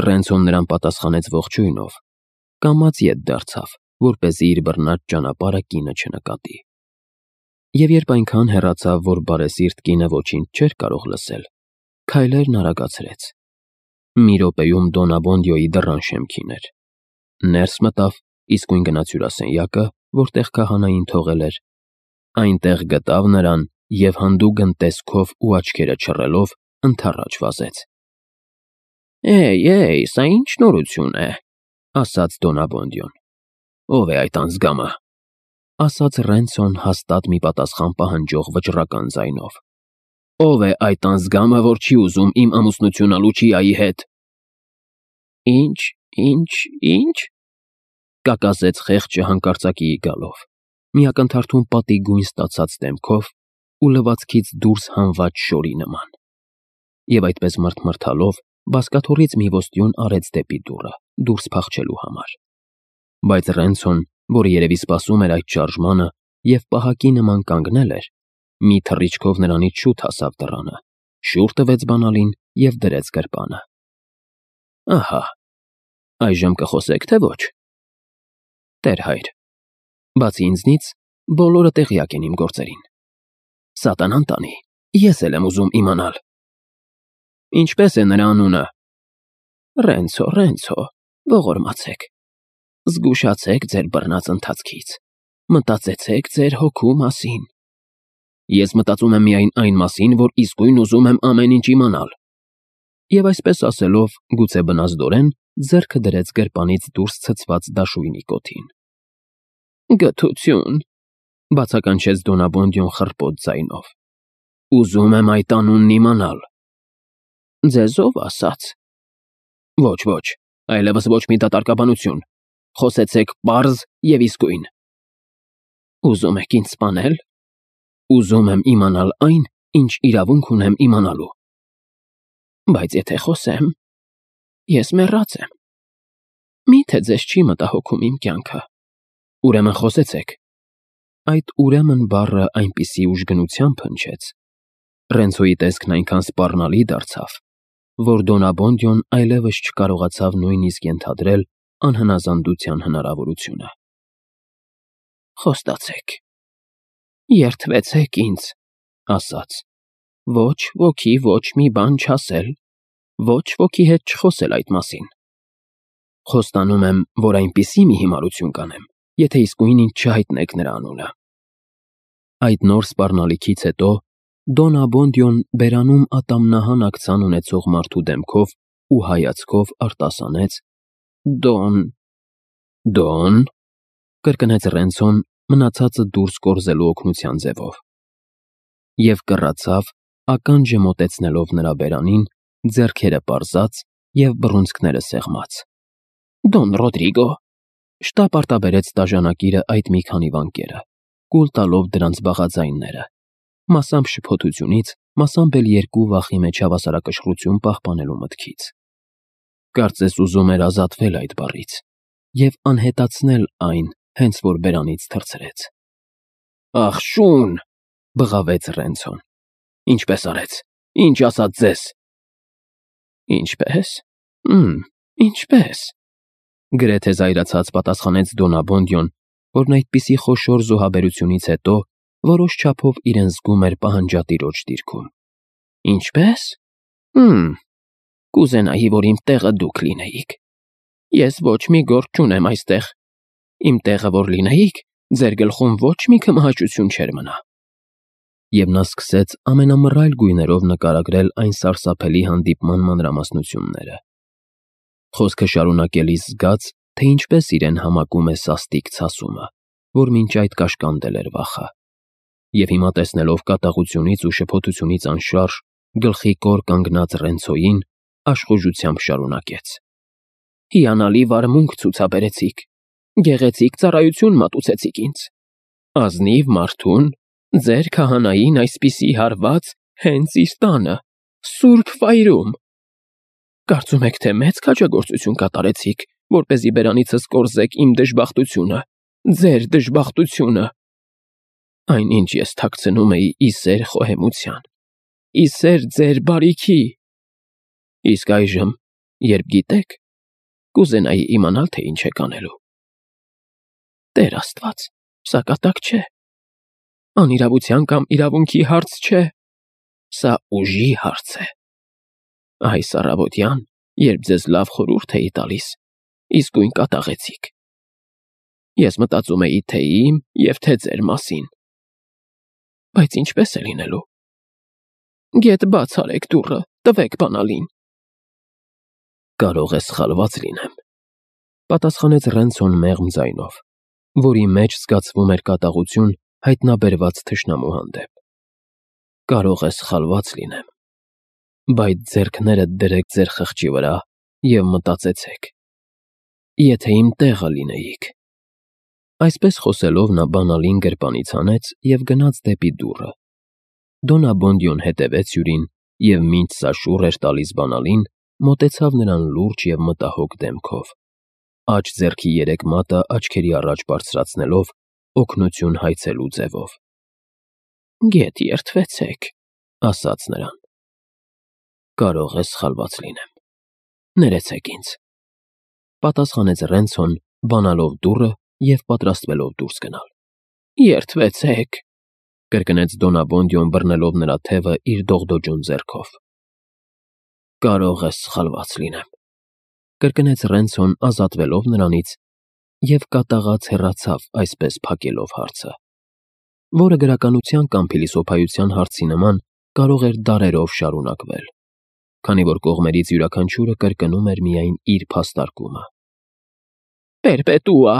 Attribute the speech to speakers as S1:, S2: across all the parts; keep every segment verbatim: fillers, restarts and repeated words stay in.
S1: Ռենցոն նրան պատասխանեց ողջույնով, կամաց ետ դարձավ, որպեսզի իր բռնած ճանապարհը կինը չնկատի։ Եվ երբ այնքան հեռացավ, որ բարեսիրտ կինը ոչինչ չէր կարող լսել, քայլերն արագացրեց։ Մի րոպեում Դոնաբոնդիոյի դռան շեմքին էր։ Ներս մտավ, իսկույն գնաց հյուրասենյակը, որտեղ քահանային թողել էր, այնտեղ գտավ նրան և հանդուգն տեսքով ու աչքերը չռելով ընդառաջ վազեց։ «Էյ, էյ, սա ի՞նչ նորություն է», ասաց Դոնաբոնդիոն։ «Ո՞վ է այդ անձգամը», ասաց Ռենցոն հաստատ մի պատասխան պահանջող վճռական ձայնով։ «Ո՞վ է այդ անձգամը, որ չի ուզում իմ ամուսնությունը Լուչիայի հետ»։ «Ինչ, ինչ, ինչ», կակասեց խեղճը հանկարծակիի գալով, մի ակնթարթում պատի գույն ստացած դեմքով ու լվացքից դուրս հանված շորի նման։ Եվ այդպես մռթմռթալով բազկաթոռից մի ոստյուն արեց դեպի դուռը, դուրս փախչելու համար։ Բայց Ռենցոն, որը երևի սպասում էր այդ շարժմանը և պահակի նման կանգնել էր, մի թռիչքով նրանից շուտ հասավ դռանը, շուռ տվեց բանալին և դրեց գրպանը։ «Ահա, այժմ կխոսեք, թե ոչ»։ «Տեր հայր, բացի ինձնից, բոլորը տեղյակ են իմ գործերին։ Սատանան տանի, ես էլ եմ ուզում իմանալ»։ «Ինչպե՞ս է նրա անունը»։ «Ռենցո, Ռենցո, ողորմացեք, զգուշացեք ձեր բռնած ընթացքից, մտածեցեք ձեր հոգու մասին»։ «Ես մտածում եմ միայն այն մասին, որ իսկույն ուզում եմ ամեն ինչ իմանալ»։ Եվ այսպես ասելով, գուցե բնազդորեն ձեռքը դրեց գրպանից դուրս ցցված դաշույնի կոթին։ «Գթություն», բացականչեց Դոնաբոնդիոն խռպոտ ձայնով։ «Ուզում եմ այդ անունն իմանալ»։ «Ձեզ ո՞վ ասաց»։ «Ոչ, ոչ, այլևս ոչ մի դատարկաբանություն, խոսեցեք պարզ և իսկույն»։ «Ուզում եք ինձ սպանել»։ «Ուզում եմ իմանալ այն, ինչ իրավունք ունեմ իմանալու»։ «Բայց եթե խոսեմ, ես մեռած եմ։ Մի՞թե ձեզ չի մտահոգում իմ կյանքը»։ «Ուրեմն խոսեցեք»։ Այդ «ուրեմն» բառը այնպիսի ուժգնությամբ հնչեց, Ռենցոյի տեսքն այնքան սպառնալի դարձավ, որ Դոնաբոնդիոն այլևս չկարողացավ նույնիսկ ենթադրել անհնազանդության հնարավորությունը։ «Խոստացեք, երդվեցեք ինձ», ասաց, «ոչ ոքի ոչ մի բան չասել, ոչ ոքի հետ չխոսել այդ մասին»։ «Խոստանում եմ, որ այնպիսի մի հիմարություն կանեմ, եթե իսկույն ինձ չհայտնեք նրա անունը»։ Այդ նոր սպառնալիքից հետո Դոնաբոնդիոն բերանում ատամնահան աքցան ունեցող մարդու դեմքով ու հայացքով արտասանեց. «Դոն»։ «Դո՞ն», կրկնեց Ռենցոն մնացածը դուրս կորզելու օգնության ձևով։ Եվ կռացավ, ականջը մոտեցնելով նրա բերանին, ձեռքերը պարզած և բռունցքները սեղմած։ «Դոն Ռոդրիգո», շտապ արտաբերեց դաժանակիրը այդ մի քանի վանկերը, կուլ տալով դրանց բաղաձայնները, մասամբ շփոթությունից, մասամբ էլ երկու վախի մեջ հավասարակշռություն պահպանելու մտքից։ Կարծես ուզում էր ազատվել այդ բառից և անհետացնել այն, հենց որ բերանից թռցրեց։ «Ախ, շուն», բղավեց Ռենցոն։ «Ինչպես արեց, ինչ ասաց ձեզ»։ «Ինչպե՞ս, ըմ, ինչպե՞ս», գրեթե զայրացած պատասխանեց Դոնաբոնդիոն, որն այդպիսի խոշոր զոհաբերությունից հետո որոշ չափով իրեն զգում էր պահանջատիրոջ դիրքում։ «Ինչպե՞ս, ըմ, կուզենայի, որ իմ տեղը դուք լինեիք։ Ես ոչ մի գործ չունեմ այստեղ։ Իմ տեղը որ լինեիք, ձեր գլխում ոչ մի քմահաճություն չէր մնա»։ Եվ նա սկսեց ամենամռայլ գույներով նկարագրել այն սարսափելի հանդիպման մանրամասնությունները։ Խոսքը շարունակելիս զգաց, թե ինչպես իրեն համակում է սաստիկ ցասումը, որ մինչ այդ կաշկանդել էր վախը։ Եվ հիմա տեսնելով կատաղությունից ու շփոթությունից անշարժ գլխի կոր կանգնած Ռենցոյին, աշխուժությամբ շարունակեց. «Հիանալի վարմունք ցուցաբերեցիք, գեղեցիկ ծառայություն մատուցեցիք ինձ։ Ազնիվ մարդուն, ձեր քահանային այսպիսի հարված հենց իր տանը, սուրբ վայրում։ Կարծում եք, թե մեծ քաջագործություն կատարեցիք, որպեսզի բերանիցս կորզեք իմ դժբախտությունը, ձեր դժբախտությունը։ Այնինչ ես թաքցնում էի ի սեր խոհեմության, ի սեր ձեր բարիքի։ Իսկ այժմ երբ գիտեք, կուզենայի իմանալ, թե ինչ եք անելու։ Տեր Աստված, սա կատակ չէ։ Անիրավության կամ իրավունքի հարց չէ, սա ուժի հարց է։ Այս առավոտյան, երբ ձեզ լավ խորհուրդ էի տալիս, իսկույն կատաղեցիք։ Ես մտածում էի թե իմ և թե ձեր մասին։ Բայց ինչպես է լինելու։ Գետ բաց արեք դուռը, տվեք բանալին։ Կարող է սխալված լինեմ, պատասխանեց Ռենցոն մեղմ ձայնով, որի մեջ զգացվում էր կատաղություն հայտնաբերված թշնամու հանդեպ։ Կարող է սխալված լինեմ, բայց ձեռքներդ դրեք ձեր խղճի վրա և մտածեցեք. եթե իմ տեղը լինեիք։ Այսպես խոսելով նա բանալին գրպանից հանեց և գնաց դեպի դուռը։ Դոնաբոնդյոն հետևեց հյուրին և մինչ սա շուռ էր տալիս բանալին, մոտեցավ նրան լուրջ և մտահոգ դեմքով, աջ ձեռքի երեք մատը աչքերի առաջ բարձրացնելով, օգնություն հայցելու ձևով։ Գետ երդվեցեք, ասաց նրան։ Կարող է սխալված լինեմ։ Ներեցեք ինձ, պատասխանեց Ռենցոն, բանալով դուռը և պատրաստվելով դուրս գնալ։ Երդվեցեք, կրկնեց Դոնաբոնդյոն բռնելով նրա թևը իր դողդոջուն ձեռքով։ Կարող է սխալված լինեմ, կրկնեց Ռենցոն ազատվելով նրանից և կատաղած հեռացավ այսպես փակելով հարցը, որը գրականության կամ փիլիսոփայության հարցի նման կարող էր դարերով շարունակվել, քանի որ կողմերից յուրաքանչյուրը կրկնում էր միայն իր փաստարկումը։ Պերպետուա,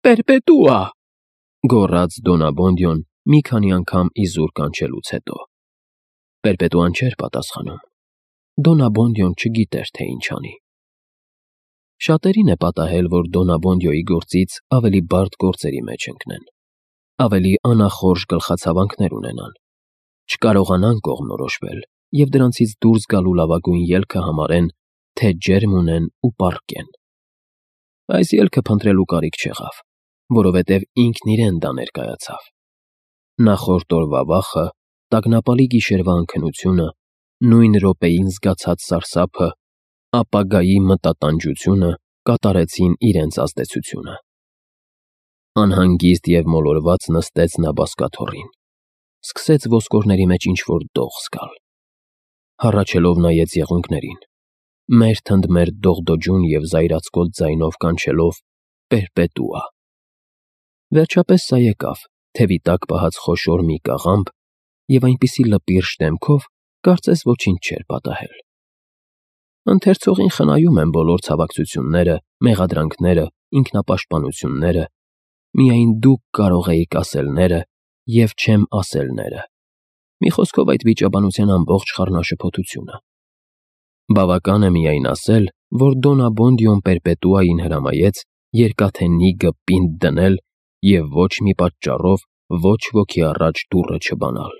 S1: պերպետուա, գոռաց Դոնաբոնդյոն մի քանի անգամ իզուր կանչելուց հետո։ Պերպետուան չէր պատասխանում։ Դոնաբոնդյոն չգիտեր, թե ինչ անի։ Շատերին է պատահել, որ Դոնաբոնդյոյի գործից ավելի բարդ գործերի մեջ ընկնեն, ավելի անախորժ գլխացավանքներ ունենան, չկարողանան կողմնորոշվել և դրանցից դուրս գալու լավագույն ելքը համարեն, թե ջերմ ունեն ու պառկեն։ Այս ելքը փնտրելու կարիք չեղավ, որովհետև ինքն իրեն դա ներկայացավ։ Նախորդ օրվա վախը, տագնապալի գիշերվա անքնությունը, նույն րոպեին զգացած սարսափը, ապագայի մտատանջությունը կատարեցին իրենց ազդեցությունը։ Անհանգիստ և մոլորված նստեց նա բազկաթոռին, սկսեց ոսկորների մեջ ինչ-որ դող զգալ։ Հառաչելով նայեց եղունգներին, մերթ ընդ մերթ դողդոջուն և զայրացկոտ ձայնով կանչելով պերպետուա։ Վերջապես սա եկավ, թևի տակ պահած խոշոր մի կաղամբ և այնպիսի լպիրշ դեմքով, կարծես ոչինչ չէր պատահել։ Ընթերցողին խնայում են բոլոր ցավակցությունները, մեղադրանքները, ինքնապաշտպանությունները, միայն դուք կարող էիք ասելները և չեմ ասելները, մի խոսքով այդ վիճաբանության ամբողջ խառնաշփոթությունը։ Բավական է միայն ասել, որ Դոնաբոնդյոն պերպետուային հրամայեց երկաթենիգը պինդ դնել և ոչ մի պատճառով ոչ ոքի առաջ դուռը չբանալ,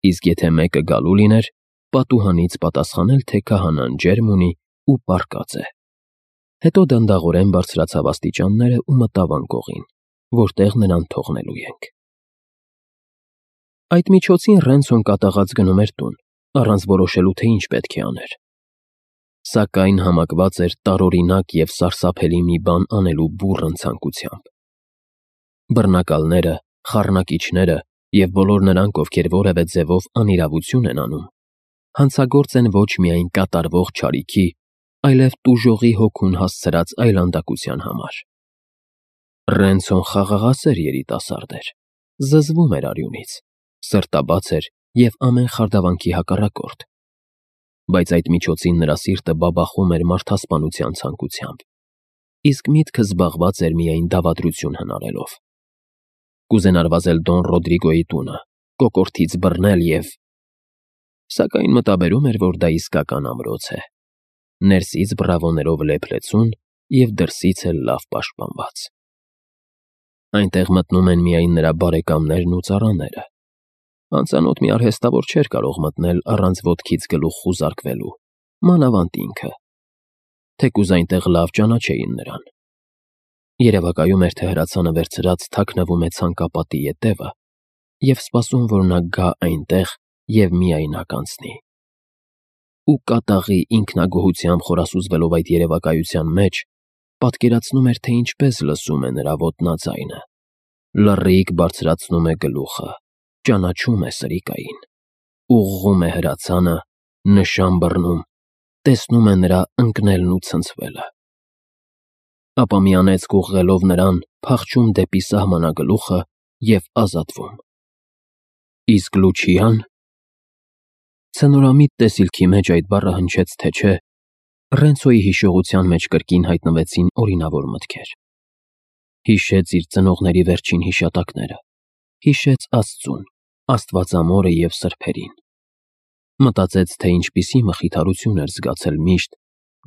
S1: իսկ եթե մեկը գալու լիներ, պատուհանից պատասխանել, թե քահանան ջերմ ունի ու պառկած է։ Հետո դանդաղորեն բարձրացավ աստիճանները ու մտավ անկողին, որտեղ նրան թողնելու ենք։ Այդ միջոցին Ռենցոն կատաղած գնում էր տուն, առանց որոշելու, թե ինչ պետք է աներ։ Սակայն համակված էր տարօրինակ և սարսափելի մի բան անելու բուռն ցանկությամբ։ Բռնակալները, խառնակիչները և բոլոր նրանք, ովքեր որևէ ձևով անիրավություն են անում, հանցագործ են ոչ միայն կատարվող չարիքի, այլև տուժողի հոգուն հասցրած այլանդակության համար։ Ռենցոն խաղաղասեր երիտասարդ էր, զզվում էր արյունից, սրտաբաց էր և ամեն խարդավանքի հակառակորդ, բայց այդ միջոցին նրա սիրտը բաբախում էր մարդասպանության ցանկությամբ, իսկ միտքը զբաղված էր միայն դավադրություն հնարելով։ Կուզենար վազել Դոն Ռոդրիգոյի տունը, կոկորդից բռնել և… Սակայն մտաբերում էր, որ դա իսկական ամրոց է, ներսից բռավոներով լեփլեցուն և դրսից էլ լավ պաշտպանված։ Այնտեղ մտնում են միայն նրա բարեկամներն ու ծառաները։ Անծանոթ մի արհեստավոր չէր կարող մտնել առանց ոտքից գլուխ խուզարկվելու, մանավանդ ինքը, թեկուզ այնտեղ լավ ճանաչեին նրան։ Երևակայում էր, թե հրացանը վերցրած թաքնվում է ցանկապատի ետևը և սպասում, որ նա գա այնտեղ և միայնակ անցնի։ ու կատաղի ինքնագոհությամբ խորասուզվելով այդ երևակայության մեջ, պատկերացնում էր, թե ինչպես լսում է նրա ոտնաձայնը, լռիկ բարձրացնում է գլուխը, ճանաչում է Սրիկային, ուղղում է հրացանը, նշան բռնում, տեսնում է նրա ընկնելն ու ցնցվելը, ապա մի անեծք ուղղելով նրան, փախչում դեպի սահմանագլուխը և ազատվում։ Իսկ Լուչիան… Ցնորամիտ տեսիլքի մեջ այդ բառը հնչեց, թե չէ, Ռենցոյի հիշողության մեջ կրկին հայտնվեցին օրինավոր մտքեր։ Հիշեց իր ծնողների վերջին հիշատակները, հիշեց Աստծուն, Աստվածամորը և սրբերին։ Մտածեց, թե ինչպիսի մխիթարություն էր զգացել միշտ,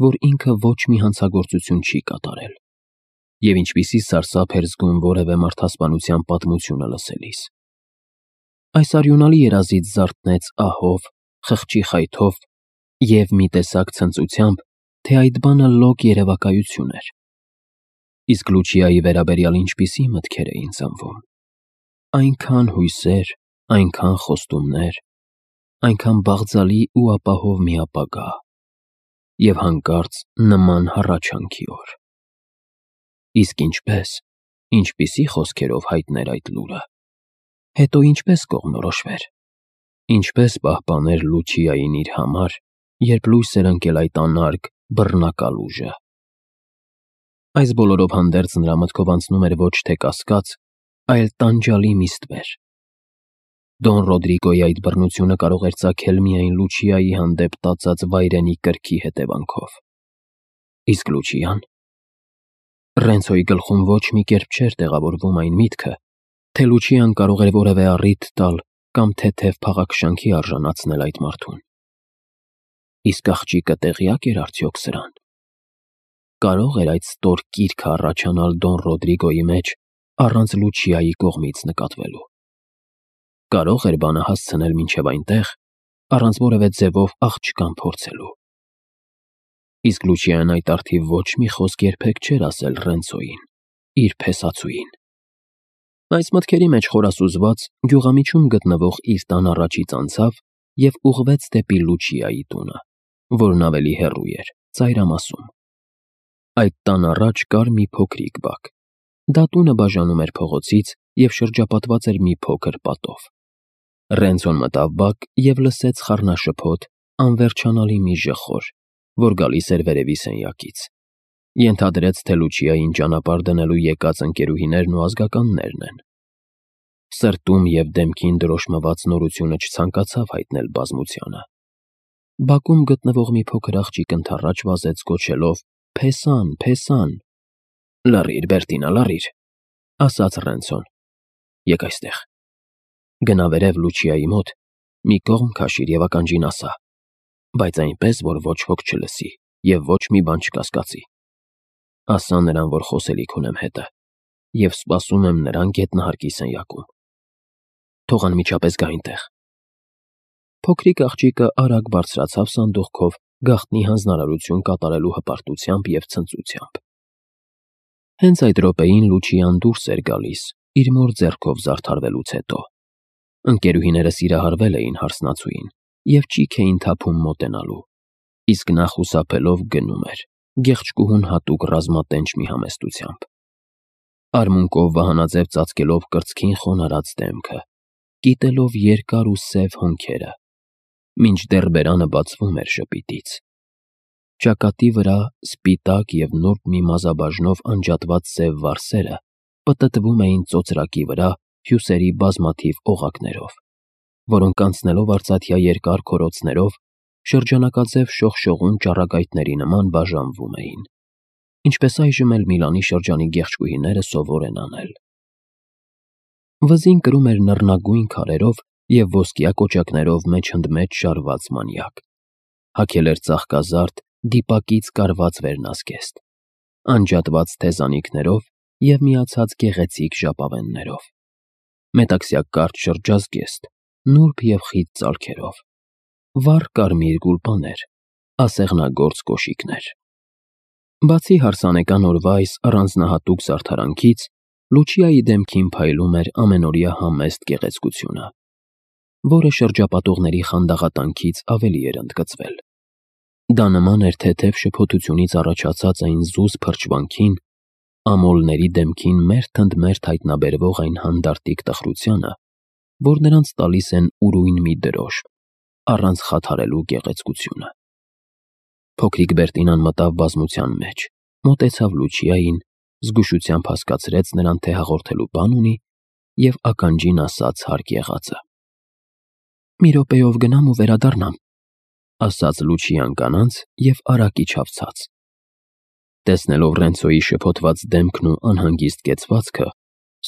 S1: որ ինքը ոչ մի հանցագործություն չի կատարել, և ինչպիսի սարսափ էր զգում որևէ մարդասպանության պատմությունը լսելիս։ Այս արյունալի երազից զարթնեց ահով, խղճի խայթով և մի տեսակ ցնծությամբ, թե այդ բանը լոկ երևակայություն էր։ Իսկ Լուչիայի վերաբերյալ ինչպիսի մտքեր էին ծնվում։ Այնքան հույսեր, այնքան խոստումներ, այնքան բաղձալի ու ապահով մի ապագա, և հանկարծ նման հառաչանքի օր։ Իսկ ինչպե՞ս, ինչպիսի խոսքերով հայտներ այդ լուրը, հետո ինչպե՞ս կողմնորոշվեր, ինչպե՞ս պահպաներ Լուչիային իր համար, երբ լույս էր ընկել այդ անարգ, բռնակալ ուժը։ Այս բոլորով հանդերձ նրա մտքով անցնում էր ոչ թե կասկած, այլ տանջալի մի ստվեր։ Դոն Ռոդրիգոյի այդ բռնությունը կարող էր ծագել միայն Լուչիայի հանդեպ տածած վայրենի կրքի հետևանքով։ Իսկ Լուչիան… Ռենցոյի գլխում ոչ մի կերպ չէր տեղավորվում այն միտքը, թե Լուչիան կարող էր որևէ առիթ տալ կամ թեթև փաղաքշանքի արժանացնել այդ մարդուն։ Իսկ աղջիկը տեղյա՞կ էր արդյոք սրան։ Կարո՞ղ էր այդ ստոր կիրքը առաջանալ Դոն Ռոդրիգոյի մեջ առանց Լուչիայի կողմից նկատվելու։ Կարո՞ղ էր բանը հասցնել մինչև այնտեղ, առանց որևէ ձևով աղջկան փորձելու։ Իսկ Լուչիան այդ առթիվ ոչ մի խոսք երբեք չէր ասել Ռենցոյին, իր փեսացուին։ Այս մտքերի մեջ խորասուզված, գյուղամիջում գտնվող իր տան առաջից անցավ և ուղղվեց դեպի Լուչիայի տունը, որն ավելի հեռու էր, ծայրամասում։ Այդ տան առաջ կար մի փոքրիկ բակ։ Դա տունը բաժանում էր փողոցից և շրջապատված էր մի փոքր պատով։ Ռենցոն մտավ բակ և լսեց խառնաշփոթ, անվերջանալի մի ժխոր, որ գալիս էր վերևի սենյակից։ Ենթադրեց, թե Լուչիային ճանապարհ դնելու եկած ընկերուհիներն ու ազգականներն են։ Սրտում և դեմքին դրոշմված նորությունը չցանկացավ հայտնել բազմությանը։ Բակում գտնվող մի փոքր աղջիկ ընդառաջ վազեց գոչելով. «Փեսան, Փեսան»։ «Լռիր, Բերտինա, լռիր», ասաց Ռենցոն։ «Եկ այստեղ»։ Գնա վերև Լուչիայի մոտ, մի կողմ քաշիր և ականջին ասա, բայց այնպես, որ ոչ ոք չլսի և ոչ մի բան չկասկածի։ Ասա նրան, որ խոսելիք ունեմ հետը, և սպասում եմ նրան գետնահարկի սենյակում։ Թող անմիջապես գա այնտեղ։ Փոքրիկ աղջիկը արագ բարձրացավ սանդուղքով, գաղտնի հանձնարարություն կատարելու հպարտությամբ և ցնծությամբ։ Հենց այդ րոպեին Լուչիան դուրս էր գալիս, իր մոր ձեռքով զարդարվելուց հետո։ Ընկերուհիները սիրահարվել էին հարսնացուին և ճիգ էին թափում մոտենալու, իսկ նա խուսափելով գնում էր, գեղեցկուհուն հատուկ ռազմատենչ մի համեստությամբ։ Արմունկով վահանաձև ծածկելով կրծքին խոնարհած դեմքը, կիտելով երկար ու սև հոնքերը, մինչդեռ բերանը բացվում էր ժպիտից։ Ճակատի վրա սպիտակ և նուրբ մի մազաբաժնով անջատված սև վարսերը պտտվում էին ծոծրակի վրա հյուսերի բազմաթիվ օղակներով, որոնք անցնելով արծաթյա երկար քորոցներով, շրջանակաձև շողշողուն ճառագայթների նման բաժանվում էին, ինչպես այժմ էլ Միլանի շրջանի գեղեցկուհիները սովոր են անել։ Վզին կրում էր նռնագույն քարերով և ոսկյա կոճակներով մեջընդմեջ շարված մանյակ, հագել էր ծաղկազարդ, դիպակից կարված վերնազգեստ, անջատված թեզանիքներով և միացած գեղեցիկ ժապավեններով, մետաքսյա կարճ շրջազգեստ, նուրբ և խիտ ծալքերով, վառ կարմիր գուլպաներ, ասեղնագործ կոշիկներ։ Բացի հարսանեկան օրվա այս առանձնահատուկ զարդարանքից, Լուչիայի դեմքին փայլում էր ամենօրյա համեստ գեղեցկությունը, որը շրջապատողների խանդաղատանքից ավելի էր ընդգծվել։ Դա նման էր թեթև շփոթությունից առաջացած այն զուս փրչվանքին, ամոլների դեմքին մերթընդմերթ հայտնաբերվող այն հանդարտիկ տխրությանը, որ նրանց տալիս են ուրույն մի դրոշ, առանց խաթարելու գեղեցկությունը։ Փոքրիկ Բերտինան մտավ բազմության մեջ, մոտեցավ Լուչիային, զգուշությամբ հասկացրեց նրան, թե հաղորդելու բան ունի, և ականջին ասաց հարկ եղածը։ «Մի րոպեով գնամ ու վերադառնամ», ասաց Լուչիան կանանց և արագ իջավ ցած։ Տեսնելով Ռենցոյի շփոթված դեմքն ու անհանգիստ կեցվածքը,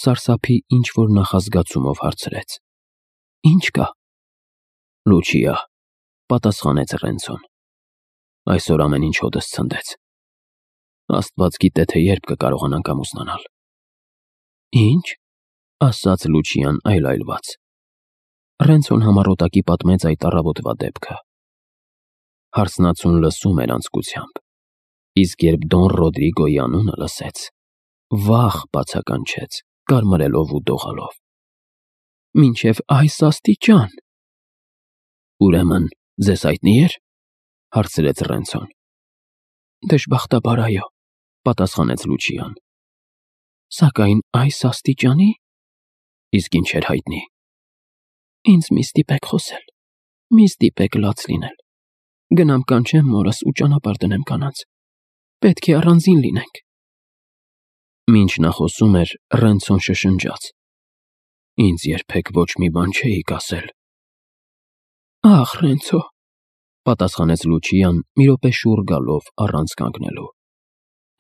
S1: սարսափի ինչ-որ նախազգացումով հարցրեց. «Ի՞նչ կա»։ «Լուչիա», պատասխանեց Ռենցոն, «այսօր ամեն ինչ հոտս ցնդեց։ Աստված գիտե, թե երբ կկարողանանք ամուսնանալ»։ «Ի՞նչ», ասաց Լուչիան այլայլված։ Ռենցոն համառոտակի պատմեց այդ առավոտվա դեպքը։ Հարսնացուն լսում էր անձկությամբ, իսկ երբ Դոն Ռոդրիգոյի անունը լսեց, վախ բացականչեց, կարմրելով ու դողալով։ «Մինչև այս աստիճան»։ «Ուրեմն ձեզ հայտնի էր», հարցրեց Ռենցոն։ «Դժբախտաբար այո», պատասխանեց Լուչիան։ «Սակայն այս աստիճանի՞։ Իսկ ինչ էր հայտնի»։ «Ինձ մի ստիպեք խոսել, մի ստիպեք լաց լինել, գնամ կանչեմ մորս ու ճանապարհ դնեմ կանանց, պետք է առանձին լինենք»։ Մինչ նա խոսում էր, Ռենցոն շշնջաց. «Ինձ երբեք ոչ մի բան չէիք ասել»։ «Ախ, Ռենցո», պատասխանեց Լուչիան, մի րոպե շուռ գալով առանց կանգնելու։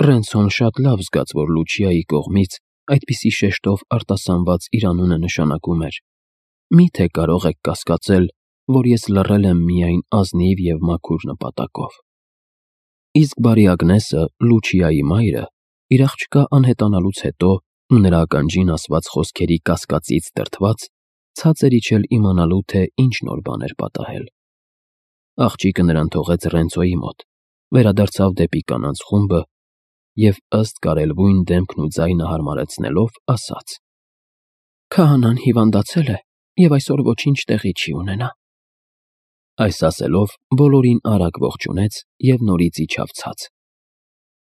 S1: Ռենցոն շատ լավ զգաց, որ Լուչիայի կողմից այդպիսի շեշտով արտասանված իր անունը նշանակում էր. «Մի՞թե կարող եք կասկածել, որ ես լռել եմ միայն ազնիվ և մաքուր նպատակով»։ Իսկ բարի Ագնեսը, Լուչիայի մայրը, իր աղջկա անհետանալուց հետո ու նրա ականջին ասված խոսքերի կասկածից դրդված, ցած էր իջել իմանալու, թե ինչ նոր բան էր պատահել։ Աղջիկը նրան թողեց Ռենցոյի մոտ, վերադարձավ դեպի կանանց խումբը և, ըստ կարելվույն դեմքն ու ձայնը հարմարեցնելով, ասաց. «Քահանան հիվանդացել է և այսօր ոչինչ տեղի չի ունենա»։ Այս ասելով, բոլորին արագ ողջունեց և նորից իջավ ցած։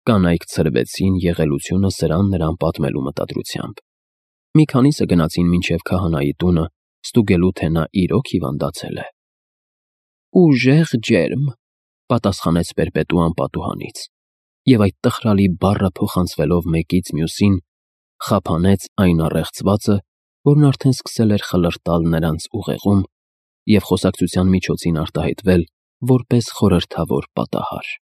S1: Կանայք ցրվեցին եղելությունը սրան նրան պատմելու մտադրությամբ։ Մի քանիսը գնացին մինչև քահանայի տունը, ստուգելու, թե նա իրոք հիվանդացել է։ «Ուժեղ ջերմ», պատասխանեց Պերպետուան պատուհանից, և այդ տխրալի բառը փոխանցվելով մեկից մյուսին, խափանեց այն առեղծվածը, որն արդեն սկսել էր խլրտալ նրանց ուղեղում և խոսակցության միջոցին արտահայտվել որպես խորհրդավոր պատահար։